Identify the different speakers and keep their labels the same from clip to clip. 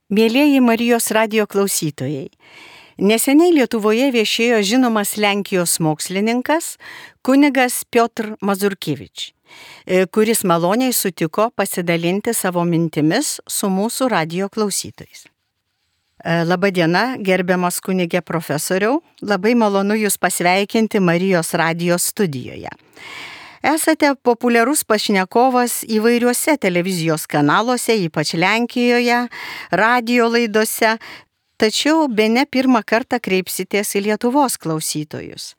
Speaker 1: Mielieji Marijos radijo klausytojai, neseniai Lietuvoje viešėjo žinomas Lenkijos mokslininkas kunigas Piotr Mazurkevič, kuris maloniai sutiko pasidalinti savo mintimis su mūsų radijo klausytojais. Labadiena, gerbiamas kunige profesoriau, labai malonu Jūs pasveikinti Marijos radijo studijoje. Esate populiarus pašnekovas įvairiuose televizijos kanaluose, ypač Lenkijoje, radijo laidose, tačiau bene pirmą kartą kreipsitės į Lietuvos klausytojus.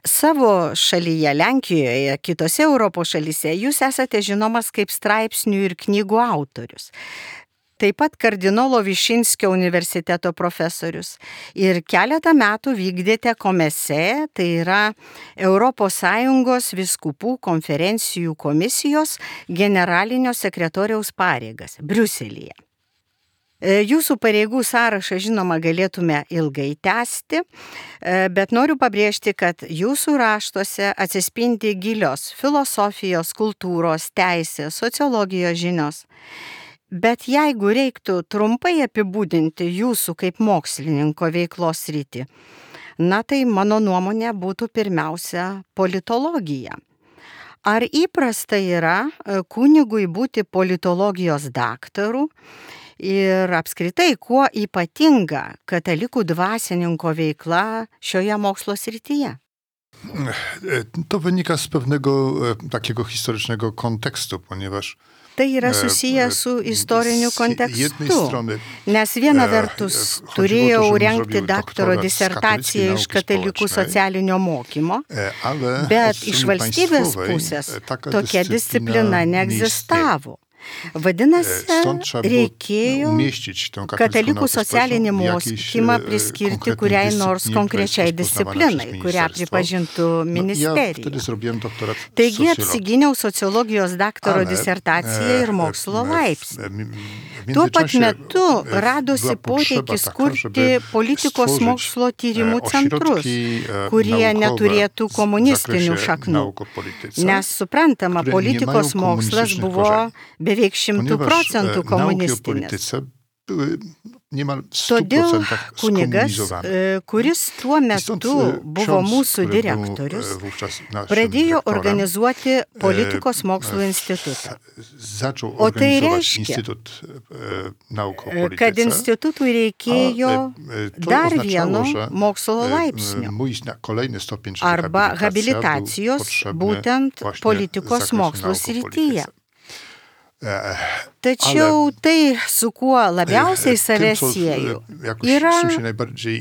Speaker 1: Savo šalyje, Lenkijoje, kitose Europos šalyse jūs esate žinomas kaip straipsnių ir knygų autorius. Taip pat kardinolo Višinskio universiteto profesorius ir keletą metų vykdėte COMECE, tai yra ES vyskupų konferencijų komisijos generalinio sekretoriaus pareigas Briuselyje. Jūsų pareigų sąrašą, žinoma, galėtume ilgai tęsti, bet noriu pabrėžti, kad jūsų raštuose atsispindi gilios filosofijos, kultūros, teisės, sociologijos žinios. Bet jeigu reiktų trumpai apibūdinti jūsų kaip mokslininko veiklos sritį, tai mano nuomonė būtų pirmiausia politologija. Ar įprasta yra kunigui būti politologijos daktaru ir apskritai kuo ypatinga katalikų dvasininko veikla šioje mokslo srityje?
Speaker 2: To wynika z pewnego takiego historycznego kontekstu, ponieważ
Speaker 1: Tai yra susiję su istoriniu kontekstu, nes viena vertus turėjau rengti daktaro disertaciją iš katalikų socialinio mokymo, bet iš valstybės pusės tokia disciplina neegzistavo. Vadinasi, reikėjo katalikų socialinį mokymą priskirti kuriai nors konkrečiai disciplinai, kurią pripažintų ministerija. Taigi apsigyniau sociologijos daktaro disertaciją ir mokslo laipsnį. Tuo pat metu radosi poreikis kurti politikos mokslo tyrimų centrus, kurie neturėtų komunistinių šaknų, nes suprantama, politikos mokslas buvo beveik 100% komunistinis. Todėl kunigas, kuris tuo metu buvo mūsų direktorius, pradėjo organizuoti politikos mokslo institutą. O tai reiškia, kad institutui reikėjo dar vieno mokslo laipsnio arba habilitacijos būtent politikos mokslo srityje. Tačiau tai, su kuo labiausiai save sieju, yra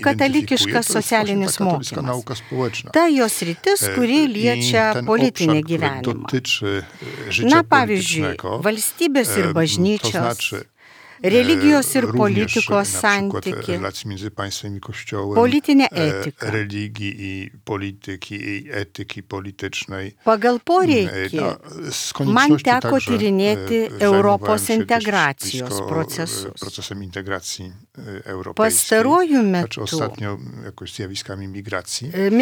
Speaker 1: katalikiškas socialinis mokymas. Ta jos sritis, kuri liečia politinį gyvenimą. Pavyzdžiui, valstybės ir bažnyčios, religijos ir politikos santyki, politinė etika. Pagal poreikį man teko tyrinėti Europos integracijos procesus. Pastaruoju metu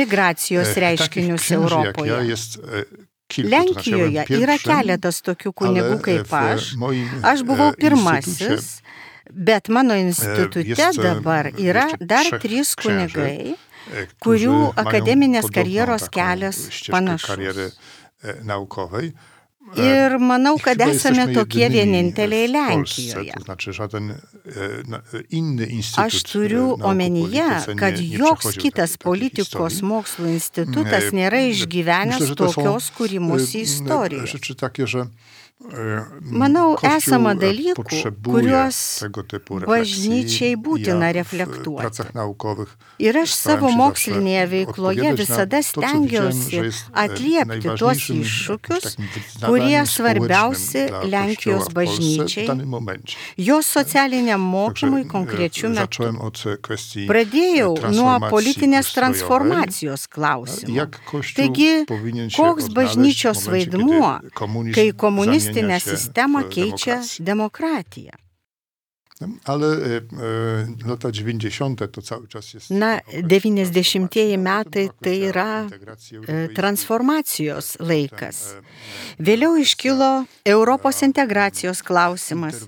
Speaker 1: migracijos reiškinius Europoje. Lenkijoje yra keletas tokių kunigų kaip aš. Aš buvau pirmasis, bet mano institute dabar yra dar 3 kunigai, kurių akademinės karjeros kelias panašus. Ir manau, kad esame tokie vieninteliai Lenkijoje. Aš turiu omenyje, kad joks kitas politikos mokslo institutas nėra išgyvenęs tokios kūrimosi istorijos. Manau, esama dalykų, kuriuos bažnyčiai būtina reflektuoti. Ir aš savo mokslinėje veikloje visada stengiausi atliepti tuos iššūkius, kurie svarbiausi Lenkijos bažnyčiai, jos socialiniam mokymui konkrečiu metu. Pradėjau nuo politinės transformacijos klausimo. Taigi, koks bažnyčios vaidmuo, kai komunistinę sistemą keičia demokratija?
Speaker 2: Ale lata 90 to cały czas jest...
Speaker 1: 90-ieji metai tai yra transformacijos laikas. Vėliau iškilo Europos integracijos klausimas.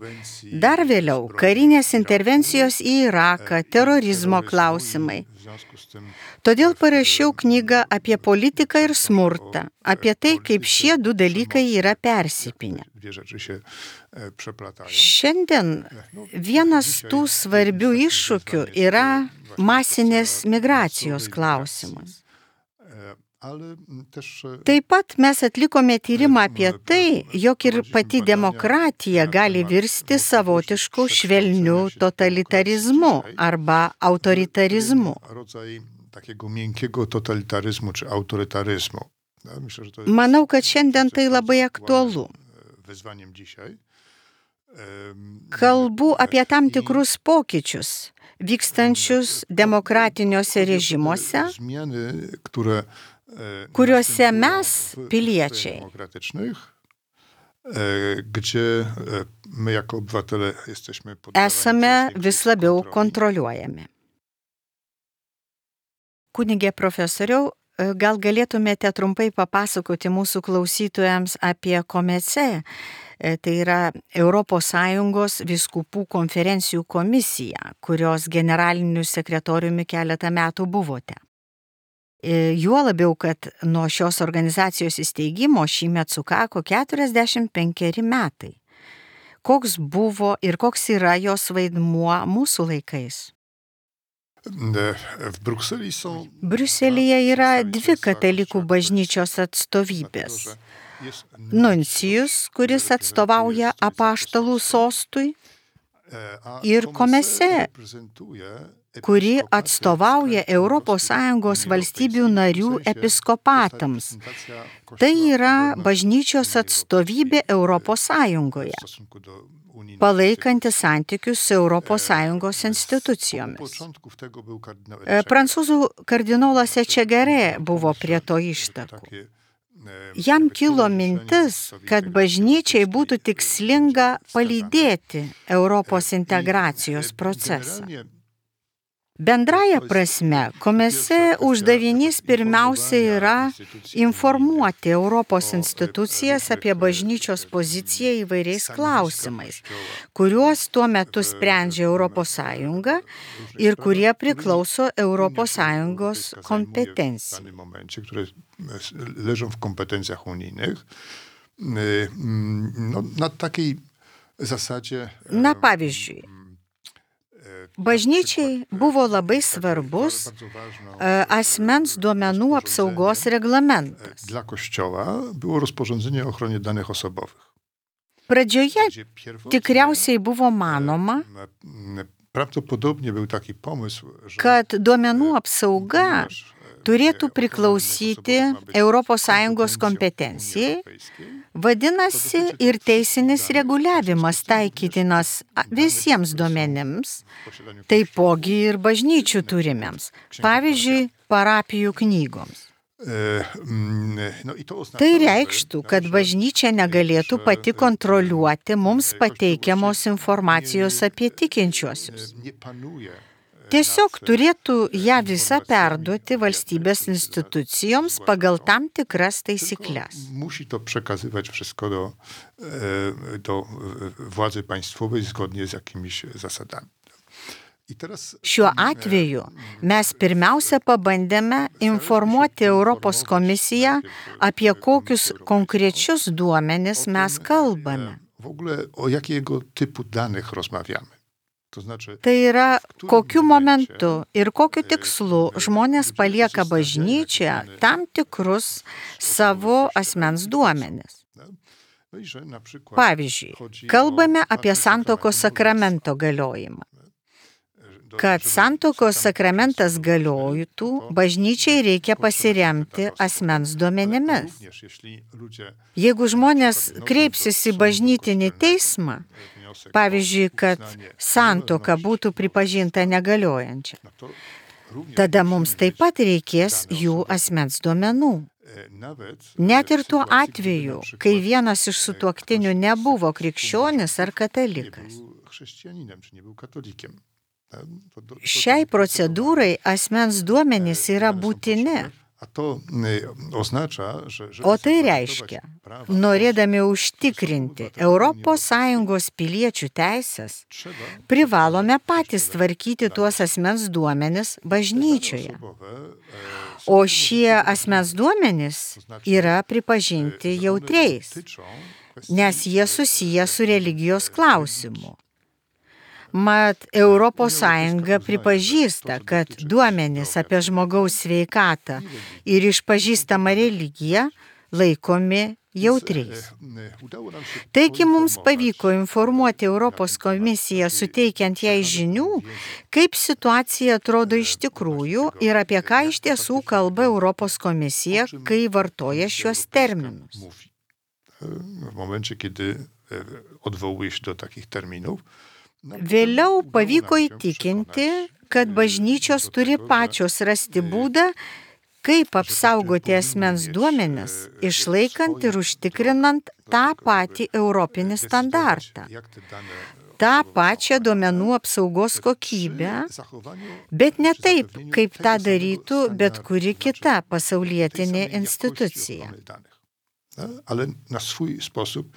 Speaker 1: Dar vėliau karinės intervencijos į Iraką, terorizmo klausimai. Todėl parašiau knygą apie politiką ir smurtą, apie tai, kaip šie du dalykai yra persipynę. Šiandien vienas tų svarbių iššūkių yra masinės migracijos klausimas. Taip pat mes atlikome tyrimą apie tai, jog ir pati demokratija gali virsti savotišku švelniu totalitarizmu arba autoritarizmu.
Speaker 2: Takiego miękkiego totalitaryzmu czy autorytaryzmu. Myślę, że to jest
Speaker 1: Manau, kad šiandien tai labai aktualu.
Speaker 2: Wyzwaniem dzisiaj.
Speaker 1: Kalbu apie tam tikrus pokyčius, vykstančius demokratiniuose režimuose,
Speaker 2: Zmiany,
Speaker 1: kuriuose mes, piliečiai,
Speaker 2: gdzie my jako obywatele jesteśmy poddawani
Speaker 1: esame vis labiau kontroliuojami. Kunige profesoriau, gal galėtumėte trumpai papasakoti mūsų klausytojams apie COMECE, tai yra ES vyskupų konferencijų komisija, kurios generaliniu sekretoriumi keletą metų buvote. Juo labiau, kad nuo šios organizacijos įsteigimo šįmet sukako 45 metai. Koks buvo ir koks yra jos vaidmuo mūsų laikais? Briuselyje yra dvi katalikų bažnyčios atstovybės. Nuncijus, kuris atstovauja apaštalų sostui, ir COMECE, kuri atstovauja ES valstybių narių episkopatams. Tai yra bažnyčios atstovybė ES, palaikanti santykius su ES institucijomis. Prancūzų kardinolas Etchegaray buvo prie to ištakų. Jam kilo mintis, kad bažnyčiai būtų tikslinga palydėti Europos integracijos procesą. Bendraja prasme, COMECE uždavinys pirmiausia yra informuoti Europos institucijas apie bažnyčios poziciją įvairiais klausimais, kuriuos tuo metu sprendžia ES ir kurie priklauso ES kompetencijai.
Speaker 2: Leżą w kompetencjach unijnych. Na takiej zasadzie...
Speaker 1: Pavyzdžiui, bažnyčiai buvo labai svarbus asmens duomenų apsaugos reglamentas.
Speaker 2: Dla Kościoła było rozporządzenie o ochronie danych osobowych.
Speaker 1: Pradžioje tikriausiai buvo manoma,
Speaker 2: Prawdopodobnie był taki pomysł,
Speaker 1: kad duomenų apsauga turėtų priklausyti ES kompetencijai, vadinasi ir teisinis reguliavimas taikytinas visiems duomenims, taipogi ir bažnyčių turimiems, pavyzdžiui, parapijų knygoms. Tai reikštų, kad bažnyčia negalėtų pati kontroliuoti mums pateikiamos informacijos apie tikinčiuosius. Tiesiog turėtų ją visą perduoti valstybės institucijoms pagal tam tikras taisykles.
Speaker 2: Musi to przekazywać wszystko do władzy państwowej zgodnie z jakimiś zasadami.
Speaker 1: Šiuo atveju mes pirmiausia pabandėme informuoti Europos komisiją apie kokius konkrečius duomenis mes kalbame.
Speaker 2: W ogóle o jakiego typu danych rozmawiamy.
Speaker 1: Tai yra, kokiu momentu ir kokiu tikslu žmonės palieka bažnyčią tam tikrus savo asmens duomenis. Pavyzdžiui, kalbame apie santuokos sakramento galiojimą. Kad santuokos sakramentas galiotų, bažnyčiai reikia pasiremti asmens duomenimis. Jeigu žmonės kreipsis į bažnytinį teismą, pavyzdžiui, kad santuoka būtų pripažinta negaliojančia, tada mums taip pat reikės jų asmens duomenų. Net ir tuo atveju, kai vienas iš sutuoktinių nebuvo krikščionis ar katalikas.
Speaker 2: chrześcijaninem, czy nie był katolikiem.
Speaker 1: Šiai procedūrai asmens duomenys yra būtini. O tai reiškia, norėdami užtikrinti ES piliečių teisės, privalome patys tvarkyti tuos asmens duomenis bažnyčioje. O šie asmens duomenys yra pripažinti jautriais, nes jie susiję su religijos klausimu. Mat, ES pripažįsta, kad duomenys apie žmogaus sveikatą ir išpažįstamą religiją laikomi jautriais. Taigi mums pavyko informuoti Europos komisiją, suteikiant jai žinių, kaip situacija atrodo iš tikrųjų ir apie ką iš tiesų kalba Europos komisija, kai vartoja šiuos terminus.
Speaker 2: W momencie, kiedy odwołuje się do takich terminów,
Speaker 1: Vėliau pavyko įtikinti, kad bažnyčios turi pačios rasti būdą, kaip apsaugoti asmens duomenis, išlaikant ir užtikrinant tą patį europinį standartą, tą pačią duomenų apsaugos kokybę, bet ne taip, kaip tą darytų bet kuri kita pasaulietinė institucija.
Speaker 2: Ale na swój sposób,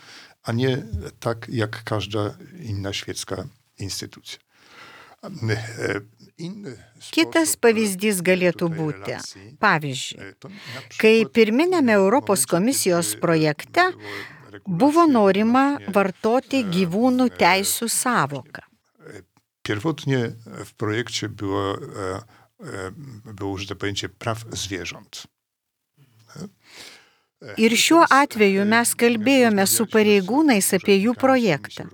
Speaker 2: a nie tak jak każda inna świecka instytucja.
Speaker 1: Kitas pavyzdys galėtų būti. Pavyzdžiui, kai pirminėme Europos komisijos projekte buvo norima vartoti gyvūnų teisių sąvoką.
Speaker 2: Pierwotnie w projekcie było użyte pojęcie praw zwierząt.
Speaker 1: Ir šiuo atveju mes kalbėjome su pareigūnais apie jų projektą.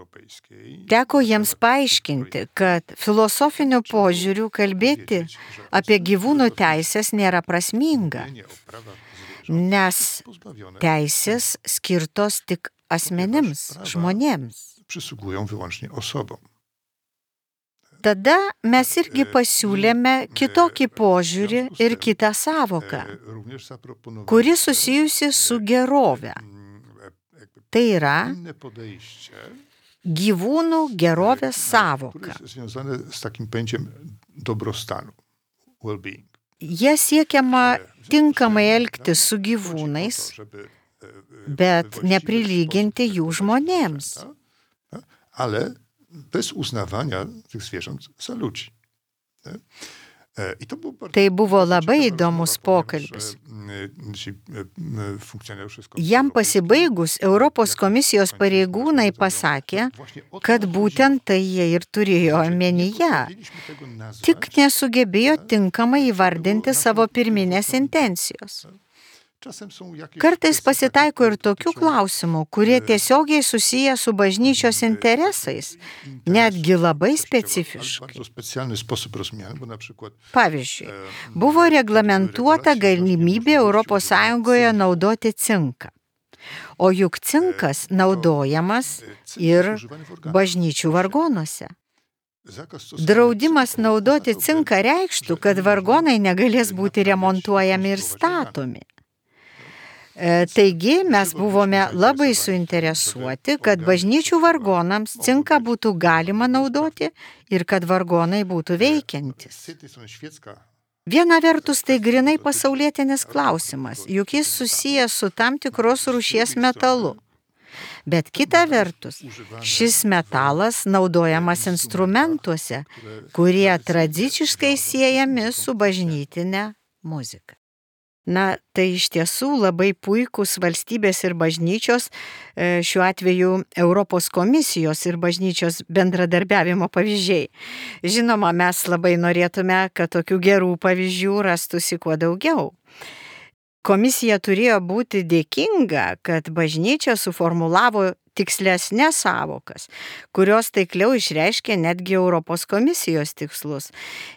Speaker 1: Teko jiems paaiškinti, kad filosofiniu požiūriu kalbėti apie gyvūnų teisės nėra prasminga, nes teisės skirtos tik asmenims, žmonėms.
Speaker 2: Przysługują wyłącznie osobom.
Speaker 1: Tada mes irgi pasiūlėme kitokį požiūrį ir kitą sąvoką, kuri susijusi su gerove. Tai yra gyvūnų gerovės sąvoka. Jie siekiama tinkamai elgtis su gyvūnais, bet neprilyginti jų žmonėms.
Speaker 2: Ale bez uznawania tych zwierząt za ludzi.
Speaker 1: Tai buvo labai įdomus pokalbis. Jam pasibaigus, Europos komisijos pareigūnai pasakė, kad būtent tai jie ir turėjo omenyje, tik nesugebėjo tinkamai įvardinti savo pirminės intencijos. Kartais pasitaiko ir tokių klausimų, kurie tiesiogiai susiję su bažnyčios interesais, netgi labai specifiškai. Pavyzdžiui, buvo reglamentuota galimybė ES naudoti cinką. O juk cinkas naudojamas ir bažnyčių vargonuose. Draudimas naudoti cinką reikštų, kad vargonai negalės būti remontuojami ir statomi. Taigi mes buvome labai suinteresuoti, kad bažnyčių vargonams cinką būtų galima naudoti ir kad vargonai būtų veikiantis. Viena vertus tai grinai pasaulietinis klausimas, juk jis susijęs su tam tikros rūšies metalu. Bet kita vertus, šis metalas naudojamas instrumentuose, kurie tradiciškai siejami su bažnytine muzika. Na, tai iš tiesų labai puikūs valstybės ir bažnyčios, šiuo atveju Europos komisijos ir bažnyčios bendradarbiavimo pavyzdžiai. Žinoma, mes labai norėtume, kad tokių gerų pavyzdžių rastųsi kuo daugiau. Komisija turėjo būti dėkinga, kad bažnyčia suformulavo tikslesnės sąvokas, kurios taikliau išreiškė netgi Europos komisijos tikslus.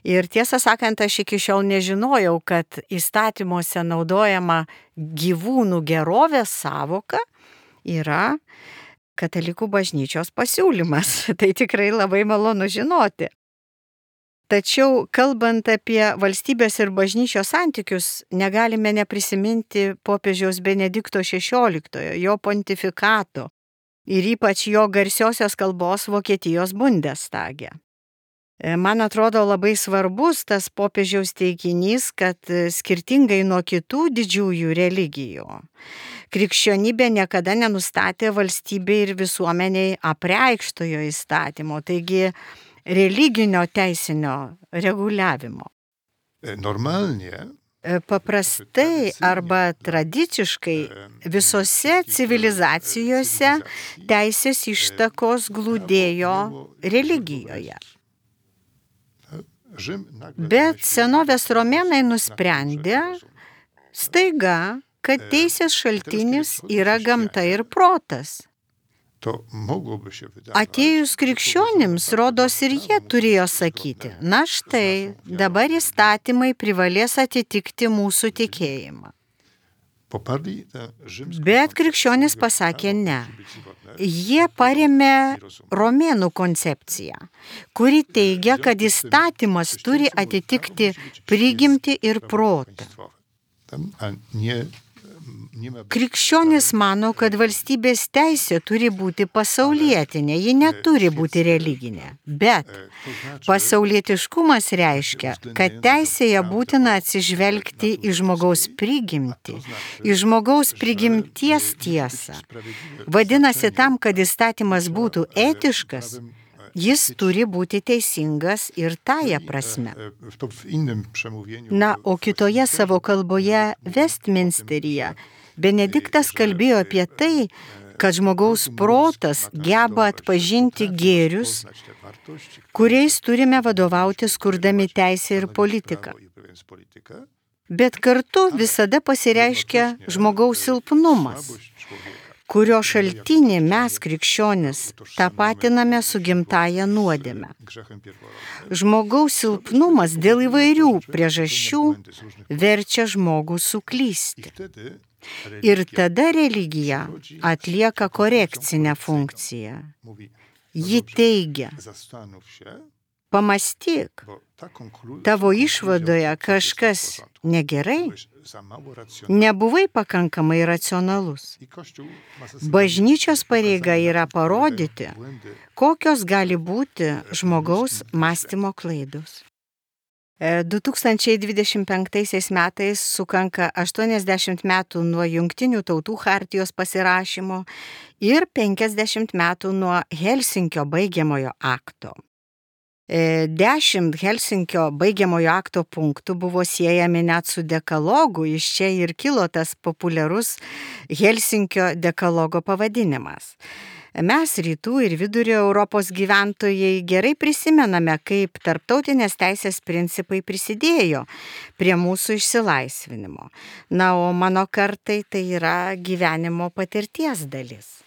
Speaker 1: Ir tiesą sakant, aš iki šiol nežinojau, kad įstatymuose naudojama gyvūnų gerovės sąvoka yra katalikų bažnyčios pasiūlymas. Tai tikrai labai malonu žinoti. Tačiau, kalbant apie valstybės ir bažnyčios santykius, negalime neprisiminti popiežiaus Benedikto XVI, jo pontifikato ir ypač jo garsiosios kalbos Vokietijos Bundestage. Man atrodo labai svarbus tas popiežiaus teiginys, kad skirtingai nuo kitų didžiųjų religijų, krikščionybė niekada nenustatė valstybei ir visuomeniai apreikštojo įstatymo, taigi religinio teisinio reguliavimo.
Speaker 2: Normalnie.
Speaker 1: Paprastai arba tradiciškai visose civilizacijose teisės ištakos glūdėjo religijoje. Bet senovės romėnai nusprendė staiga, kad teisės šaltinis yra gamta ir protas. Atėjus krikščionims, rodos ir jie turėjo sakyti, na štai, dabar įstatymai privalės atitikti mūsų tikėjimą. Bet krikščionys pasakė ne. Jie parėmė romėnų koncepciją, kuri teigia, kad įstatymas turi atitikti prigimtį ir protą. Krikščionys mano, kad valstybės teisė turi būti pasaulietinė, ji neturi būti religinė. Bet pasaulietiškumas reiškia, kad teisėje būtina atsižvelgti į žmogaus prigimtį, į žmogaus prigimties tiesą. Vadinasi, tam, kad įstatymas būtų etiškas, jis turi būti teisingas ir tąja prasme. Na, o kitoje savo kalboje Westminsteryje Benediktas kalbėjo apie tai, kad žmogaus protas geba atpažinti gėrius, kuriais turime vadovautis kurdami teisę ir politiką. Bet kartu visada pasireiškia žmogaus silpnumas, kurio šaltinį mes krikščionis tapatiname su gimtąja nuodėme. Žmogaus silpnumas dėl įvairių priežasčių verčia žmogų suklysti. Ir tada religija atlieka korekcinę funkciją. Ji teigia, pamąstyk, tavo išvadoje kažkas negerai, nebuvai pakankamai racionalus. Bažnyčios pareiga yra parodyti, kokios gali būti žmogaus mąstymo klaidos. 2025 metais sukanka 80 metų nuo Jungtinių tautų chartijos pasirašymo ir 50 metų nuo Helsinkio baigiamojo akto. 10 Helsinkio baigiamojo akto punktų buvo siejami net su dekalogu, iš čia ir kilo tas populiarus Helsinkio dekalogo pavadinimas. Mes rytų ir vidurio Europos gyventojai gerai prisimename, kaip tarptautinės teisės principai prisidėjo prie mūsų išsilaisvinimo. Na, o mano kartai tai yra gyvenimo patirties dalis.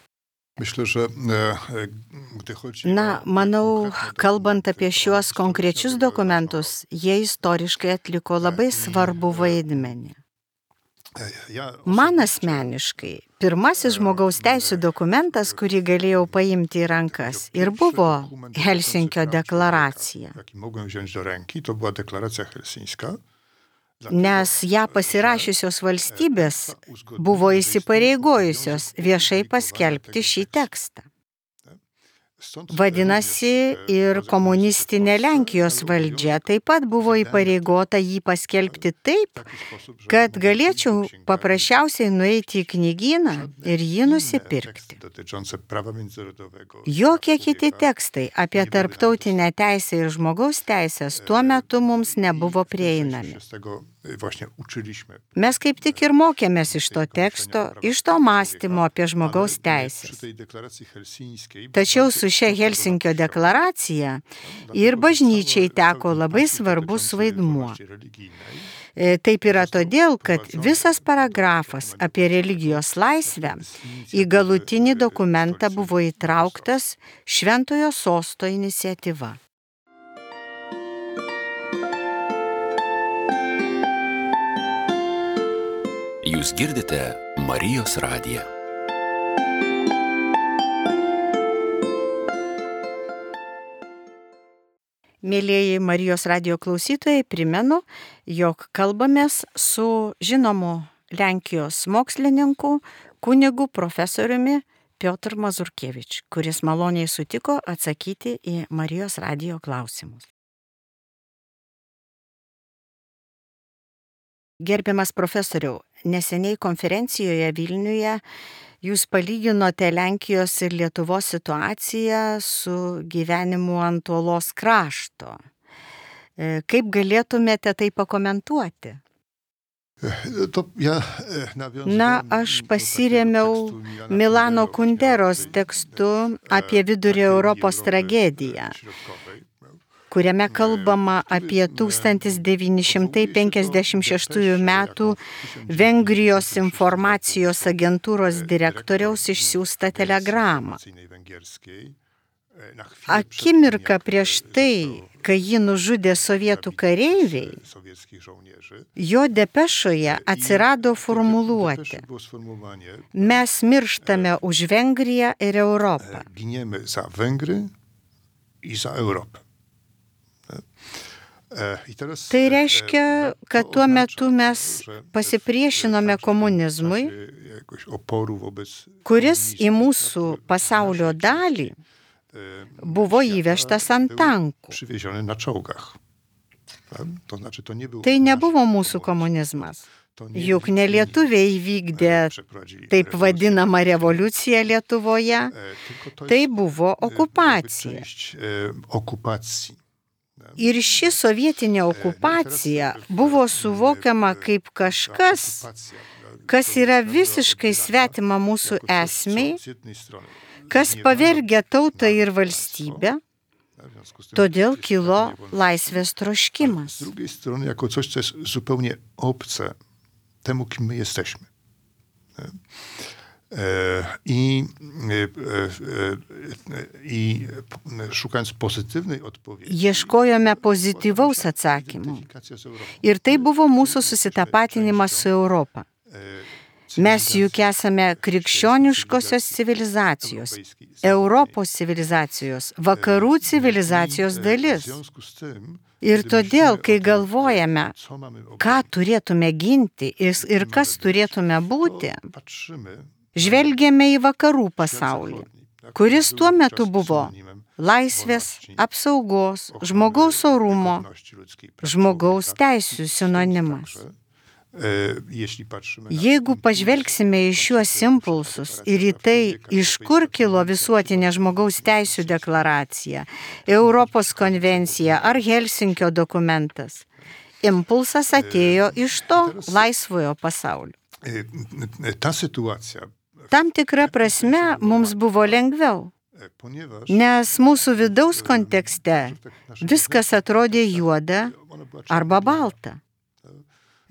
Speaker 1: Na, manau, kalbant apie šiuos konkrečius dokumentus, jie istoriškai atliko labai svarbų vaidmenį. Man asmeniškai, pirmasis žmogaus teisių dokumentas, kurį galėjau paimti į rankas, ir buvo Helsinkio deklaracija. Nes ją pasirašiusios valstybės buvo įsipareigojusios viešai paskelbti šį tekstą. Vadinasi, ir komunistinė Lenkijos valdžia taip pat buvo įpareigota jį paskelbti taip, kad galėčiau paprasčiausiai nueiti į knygyną ir jį nusipirkti. Jokie kiti tekstai apie tarptautinę teisę ir žmogaus teisės tuo metu mums nebuvo prieinami. Mes kaip tik ir mokėmės iš to teksto, iš to mąstymo apie žmogaus teisės. Tačiau su šia Helsinkio deklaracija ir bažnyčiai teko labai svarbus vaidmuo. Taip yra todėl, kad visas paragrafas apie religijos laisvę į galutinį dokumentą buvo įtrauktas Šventojo Sosto iniciatyva.
Speaker 3: Jūs girdite Marijos radiją.
Speaker 1: Mėlieji Marijos radijo klausytojai, primenu, jog kalbamės su žinomu Lenkijos mokslininku, kunigu profesoriumi Piotr Mazurkevič, kuris maloniai sutiko atsakyti į Marijos radijo klausimus. Gerbiamas profesoriau, neseniai konferencijoje Vilniuje jūs palyginote Lenkijos ir Lietuvos situaciją su gyvenimu ant uolos krašto. Kaip galėtumėte tai pakomentuoti? Aš pasirėmiau Milano Kunderos tekstu apie Vidurio Europos tragediją, kuriame kalbama apie 1956 metų Vengrijos informacijos agentūros direktoriaus išsiųstą telegramą. Akimirką prieš tai, kai jį nužudė sovietų kareiviai, jo depešoje atsirado formuluotė: mes mirštame už Vengriją ir Europą.
Speaker 2: Giniemy za Węgry i za Europę.
Speaker 1: Tai reiškia, kad tuo metu mes pasipriešinome komunizmui, kuris į mūsų pasaulio dalį buvo įvežtas ant tankų. Tai nebuvo mūsų komunizmas. Juk ne lietuviai įvykdė taip vadinamą revoliuciją Lietuvoje, tai buvo okupacija. Ir ši sovietinė okupacija buvo suvokiama kaip kažkas, kas yra visiškai svetima mūsų esmei, kas pavergia tautą ir valstybę, todėl kilo laisvės troškimas.
Speaker 2: Z drugiej strony, jako coś, co jest zupełnie obce temu, kim my jesteśmy. I szukając pozytywnej odpowiedzi.
Speaker 1: Ieškojome pozityvaus atsakymo. Ir tai buvo mūsų susitapatinimas su Europa. Mes juk esame krikščioniškosios civilizacijos, Europos civilizacijos, vakarų civilizacijos dalis. Ir todėl, kai galvojame, ką turėtume ginti ir kas turėtume būti, žvelgėme į vakarų pasaulį, kuris tuo metu buvo laisvės, apsaugos, žmogaus orumo, žmogaus teisių sinonimas. Jeigu pažvelgsime į šiuos impulsus ir į tai, iš kur kilo visuotinė žmogaus teisių deklaracija, Europos konvencija ar Helsinkio dokumentas, impulsas atėjo iš to laisvojo pasaulio. Tam tikra prasme mums buvo lengviau, nes mūsų vidaus kontekste viskas atrodė juoda arba balta.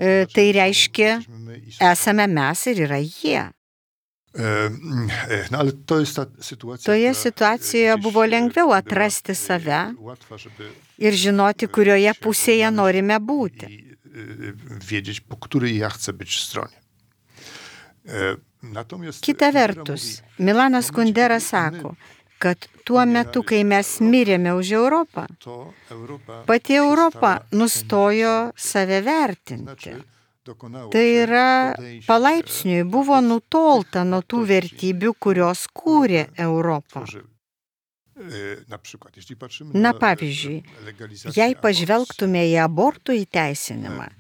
Speaker 1: Tai reiškia, esame mes ir yra jie. Toje situacijoje buvo lengviau atrasti save ir žinoti, kurioje pusėje norime būti. Kita vertus, Milanas Kundera sako, kad tuo metu, kai mes mirėme už Europą, pati Europa nustojo save vertinti. Tai yra, palaipsniui buvo nutolta nuo tų vertybių, kurios kūrė Europą. Na pavyzdžiui, jei pažvelgtume į abortų įteisinimą,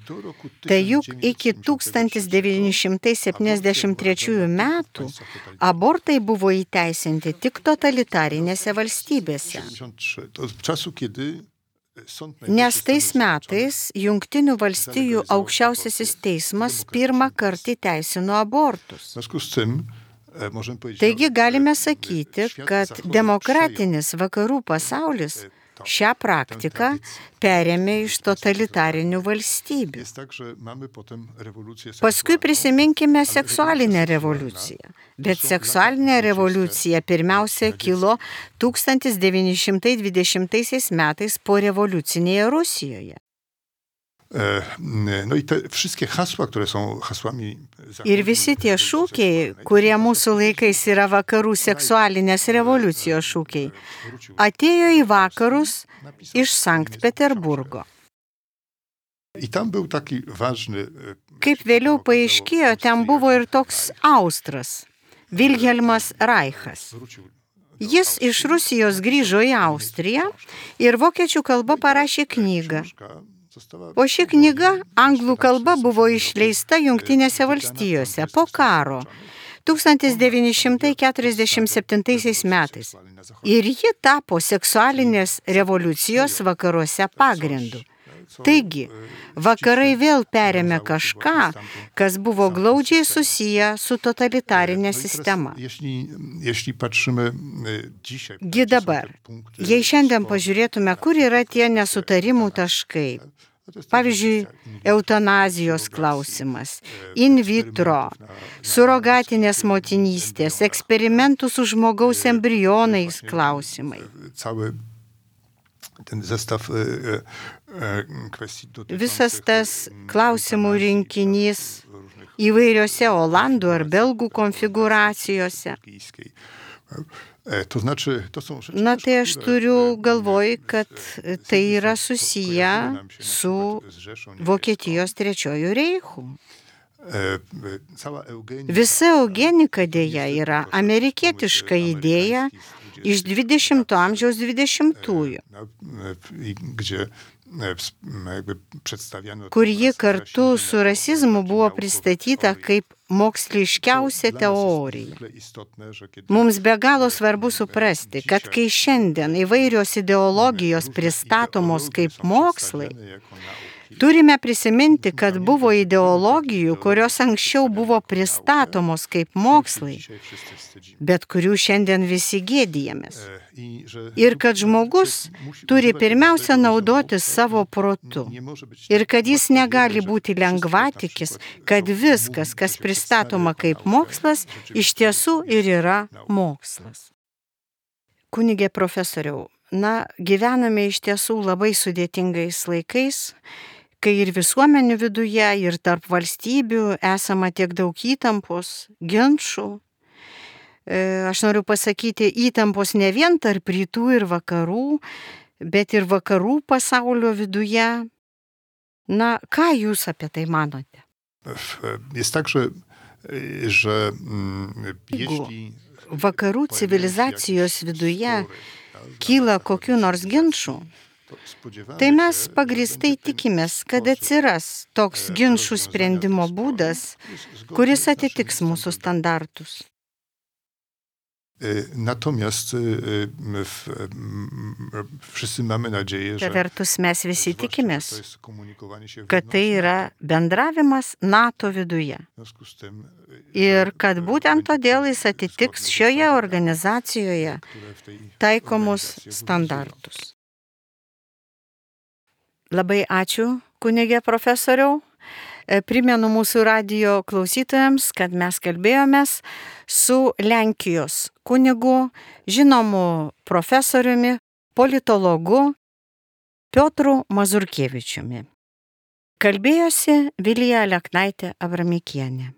Speaker 1: tai juk iki 1973 metų abortai buvo įteisinti tik totalitarinėse valstybėse. Nes tais metais Jungtinių valstijų aukščiausiasis teismas pirmą kartą įteisino abortus. Taigi galime sakyti, kad demokratinis vakarų pasaulis šią praktiką perėmė iš totalitarinių valstybių. Paskui prisiminkime seksualinę revoliuciją. Bet seksualinė revoliucija pirmiausia kilo 1920 metais po rewolucyjnej Rusijoje.
Speaker 2: No i te wszystkie hasła, które są hasłami...
Speaker 1: Ir visi tie šūkiai, kurie mūsų laikais yra vakarų seksualinės revoliucijos šūkiai, atėjo į vakarus iš Sankt Peterburgo.
Speaker 2: Kaip
Speaker 1: vėliau paaiškėjo, ten buvo ir toks Austras, Vilhelmas Reichas. Jis iš Rusijos grįžo į Austriją ir vokiečių kalba parašė knygą. O ši knyga anglų kalba buvo išleista Jungtinėse valstijose po karo 1947 metais. Ir ji tapo seksualinės revoliucijos vakaruose pagrindu. Taigi, vakarai vėl perėmė kažką, kas buvo glaudžiai susiję su totalitarinė sistema. Gi dabar, jei šiandien pažiūrėtume, kur yra tie nesutarimų taškai, pavyzdžiui, eutanazijos klausimas, in vitro, surogatinės motinystės, eksperimentų su žmogaus embrionais klausimai. Visas tas klausimų rinkinys įvairiose olandų ar belgų konfigūracijose. Na tai aš turiu galvoj, kad tai yra susiję su Vokietijos trečiuoju reichu. Visa eugenika dėja yra amerikietiška idėja iš 20 amžiaus 20-ųjų, kur ji kartu su rasizmu buvo pristatyta kaip moksliškiausia teorija. Mums be galo svarbu suprasti, kad kai šiandien įvairios ideologijos pristatomos kaip mokslai, turime prisiminti, kad buvo ideologijų, kurios anksčiau buvo pristatomos kaip mokslai, bet kurių šiandien visi gėdijamės. Ir kad žmogus turi pirmiausia naudotis savo protu. Ir kad jis negali būti lengvatikis, kad viskas, kas pristatoma kaip mokslas, iš tiesų ir yra mokslas. Kunige profesoriau, gyvename iš tiesų labai sudėtingais laikais, kai ir visuomenių viduje, ir tarp valstybių esama tiek daug įtampos, ginčų. Aš noriu pasakyti, įtampos ne vien tarp rytų ir vakarų, bet ir vakarų pasaulio viduje. Ką jūs apie tai manote?
Speaker 2: Jest tak, że
Speaker 1: vakarų civilizacijos viduje kyla kokių nors ginčų, tai mes pagrįstai tikimės, kad atsiras toks ginčų sprendimo būdas, kuris atitiks mūsų standartus.
Speaker 2: Natomiast wszyscy mamy nadzieję, że
Speaker 1: vertus mes visi tikimės, kad tai yra bendravimas NATO viduje. Ir kad būtent todėl jis atitiks šioje organizacijoje taikomus standartus. Labai ačiū, kunige profesoriau. Primenu mūsų radijo klausytojams, kad mes kalbėjomės su Lenkijos kunigu, žinomu profesoriumi, politologu Piotru Mazurkievičiumi. Kalbėjosi Vilija Aleknaitė Abramikienė.